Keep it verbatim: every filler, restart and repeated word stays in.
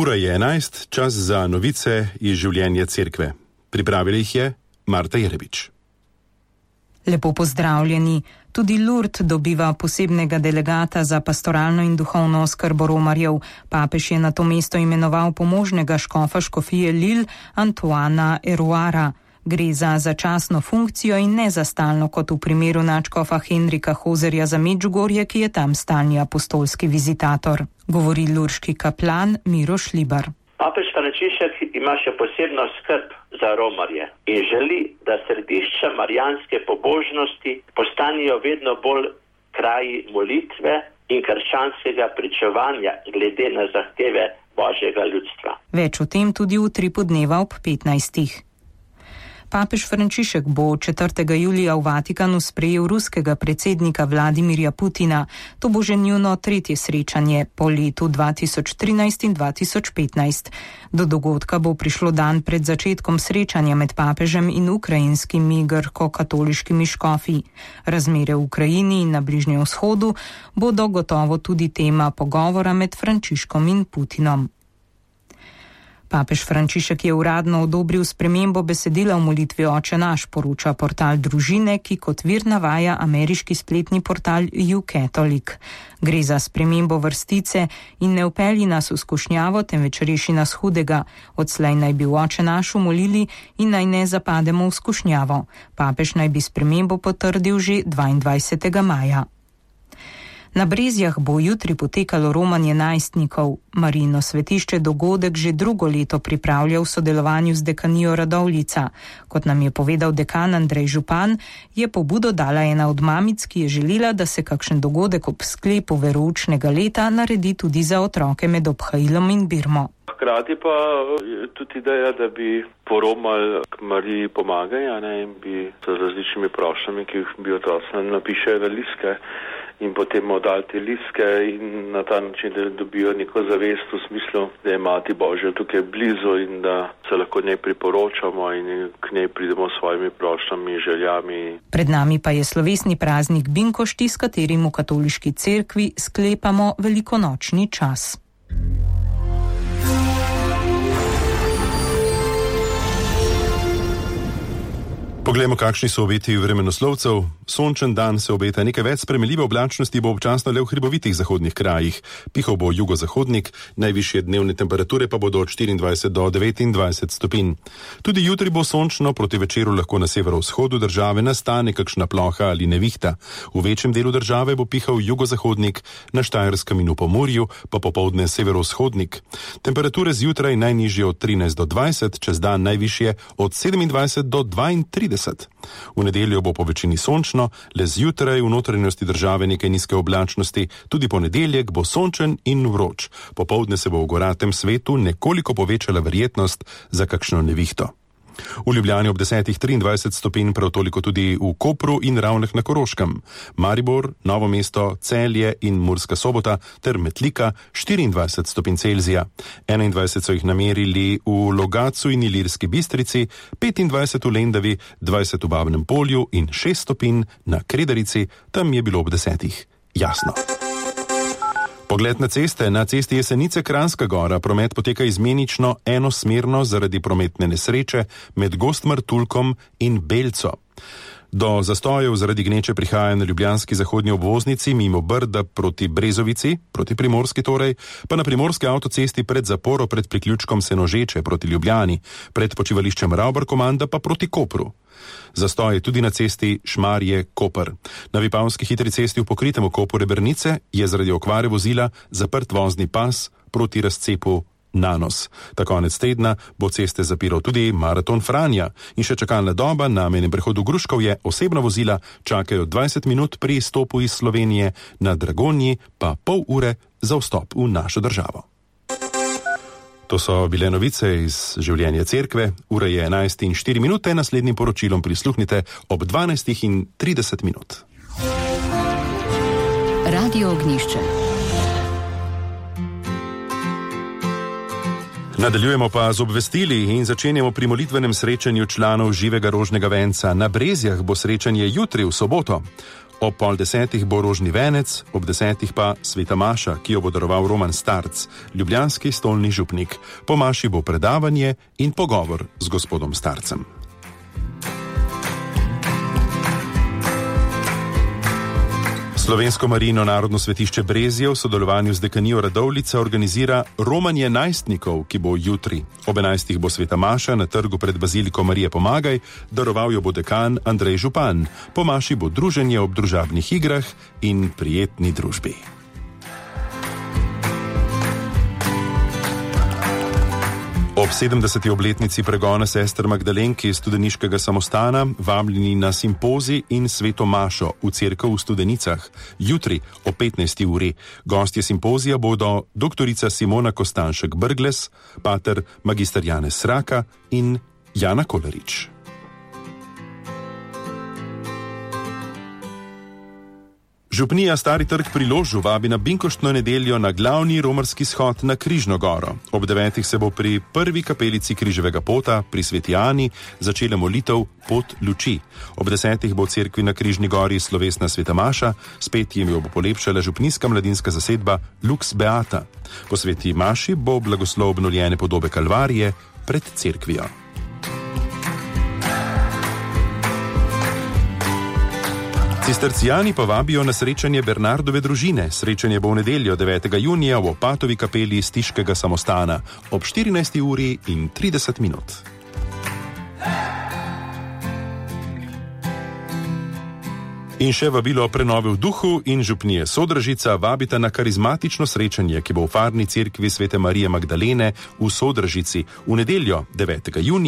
Ura je enajst, čas za novice iz življenja cerkve. Pripravili jih je Marta Jerebič. Lepo pozdravljeni. Tudi Lourdes dobiva posebnega delegata za pastoralno in duhovno oskrbo romarjev. Papež je na to mesto imenoval pomožnega škofa škofije Lille Antoana Eruara. Gre za začasno funkcijo in ne za stalno, kot v primeru nadškofa Henrika Hozerja za Medžugorje, ki je tam stalni apostolski vizitator. Govori lurški kaplan Miro Šlibar. Papež Frančišek ima še posebno skrb za romarje in želi, da središča marijanske pobožnosti postanejo vedno bolj kraji molitve in krščanskega pričevanja glede na zahteve Božjega ljudstva. Več o tem tudi v utripu dneva ob petnajstih. Papež Frančišek bo četrtega julija v Vatikanu sprejel ruskega predsednika Vladimirja Putina. To bo že njuno tretje srečanje po letu dva tisoč trinajst in dva tisoč petnajst. Do dogodka bo prišlo dan pred začetkom srečanja med papežem in ukrajinskimi grko-katoliškimi škofi. Razmere v Ukrajini in na Bližnjem vzhodu bodo gotovo tudi tema pogovora med Frančiškom in Putinom. Papež Frančišek je uradno odobril spremembo besedila v molitvi Oče naš, poroča portal Družine, ki kot vir navaja ameriški spletni portal YouCatholic. Gre za spremembo vrstice in ne vpelji nas v skušnjavo, temveč reši nas hudega. Odslej naj bi v Oče naš molili in naj ne zapademo v skušnjavo. Papež naj bi spremembo potrdil že dvaindvajsetega maja. Na Brezjah bo jutri potekalo romanje najstnikov. Marijino svetišče dogodek že drugo leto pripravlja v sodelovanju z dekanijo Radovljica. Kot nam je povedal dekan Andrej Župan, je pobudo dala ena od mamic, ki je želela, da se kakšen dogodek ob sklepu veroučnega leta naredi tudi za otroke med obhajilom in birmo. Hkrati pa je tudi ideja, da bi poromali k Mariji pomagaj, a ne, in bi z različnimi prošnjami, ki jih bi otroci napišejo na listke, in potem oddali te listke in na ta način, da dobijo neko zavest v smislu, da je Mati Božja tukaj blizu in da se lahko njej priporočamo in k njej pridemo s svojimi prošnjami, željami. Pred nami pa je slovesni praznik Binkošti, s katerim v katoliški cerkvi sklepamo velikonočni čas. Poglejmo, kakšni so obeti vremenoslovcev. Sončen dan se obeta, nekaj več spremenljive oblačnosti bo občasno le v hribovitih zahodnih krajih. Pihal bo jugozahodnik, najvišje dnevne temperature pa bodo od štiriindvajset do devetindvajset stopinj. Tudi jutri bo sončno, proti večeru lahko na severovzhodu države nastane kakšna ploha ali nevihta. V večjem delu države bo pihal jugozahodnik, na Štajerskem in v Pomurju pa popoldne severovzhodnik. Temperature zjutraj najnižje od trinajst do dvajset, čez dan najvišje od sedemindvajset do dvaintrideset. V nedeljo bo po večini sončno, le zjutraj v notranjosti države nekaj nizke oblačnosti, tudi ponedeljek bo sončen in vroč. Popoldne se bo v goratem svetu nekoliko povečala verjetnost za kakšno nevihto. V Ljubljani ob desetih triindvajset stopinj, prav toliko tudi v Kopru in Ravnah na Koroškem. Maribor, Novo mesto, Celje in Murska Sobota ter Metlika štiriindvajset stopinj Celzija. enaindvajset so jih namerili v Logatcu in Ilirski Bistrici, petindvajset v Lendavi, dvajset v Babnem Polju in šest stopinj na Kredarici, tam je bilo ob desetih jasno. Pogled na ceste. Na cesti Jesenice-Kranjska Gora promet poteka izmenično enosmerno zaradi prometne nesreče med Gostmartulkom in Belco. Do zastojev zaradi gneče prihaja na ljubljanski zahodnji obvoznici mimo Brda proti Brezovici, proti Primorski torej, pa na primorski avtocesti pred zaporo pred priključkom Senožeče proti Ljubljani, pred počivališčem Ravbar-Komanda pa proti Kopru. Zastoj je tudi na cesti Šmarje-Koper. Na Vipavski hitri cesti v pokritem okopu Rebernice je zaradi okvare vozila zaprt vozni pas proti razcepu Nanos. Ta konec tedna bo ceste zapiral tudi Maraton Franja in še čakalna doba na mejnem prehodu Gruškovje. Osebna vozila čakajo dvajset minut pri izstopu iz Slovenije, na Dragonji pa pol ure za vstop v našo državo. To so bile novice iz življenja cerkve. Ura je enajst in štiri minute, naslednjim poročilom prisluhnite ob dvanajstih in trideset minut. Radio Ognjišče. Nadaljujemo pa z obvestili in začenjamo pri molitvenem srečanju članov Živega rožnega venca. Na Brezjah bo srečanje jutri v soboto. Ob pol desetih bo rožni venec, ob desetih pa sveta maša, ki jo bo daroval Roman Starc, ljubljanski stolni župnik. Po maši bo predavanje in pogovor z gospodom Starcem. Slovensko Marijino narodno svetišče Brezje v sodelovanju z dekanijo Radovljica organizira romanje najstnikov, ki bo jutri. Ob enajstih bo sveta maša na trgu pred baziliko Marije Pomagaj, daroval jo bo dekan Andrej Župan. Po maši bo druženje ob družabnih igrah in prijetni družbi. Ob sedemdeseti obletnici pregona sester Magdalenke iz Studeniškega samostana vabljeni na simpozij in sveto mašo v cerkev v Studenicah. Jutri ob petnajsti uri. Gostje simpozija bodo doktorica Simona Kostanšek-Brgles, pater magister Janez Sraka in Jana Kolarič. Župnija Stari trg pri Ložu vabi na binkoštno nedeljo na glavni romarski shod na Križno goro. Ob devetih se bo pri prvi kapelici Križevega pota pri Sveti Ani začela molitev Pot luči. Ob desetih bo v cerkvi na Križni gori slovesna sveta maša, spet jim jo bo polepšala župnijska mladinska zasedba Lux Beata. Po sveti maši bo blagoslov obnovljene podobe Kalvarije pred cerkvijo. Cistercijani pa vabijo na srečanje Bernardove družine. Srečanje bo v nedeljo devetega junija v Opatovi kapeli Stiškega samostana ob štirinajsti uri in trideset minut. In še vabilo o prenovi v duhu in župnije Sodražica vabita na karizmatično srečanje, ki bo v farni cerkvi Svete Marije Magdalene v Sodražici v nedeljo devetega junija.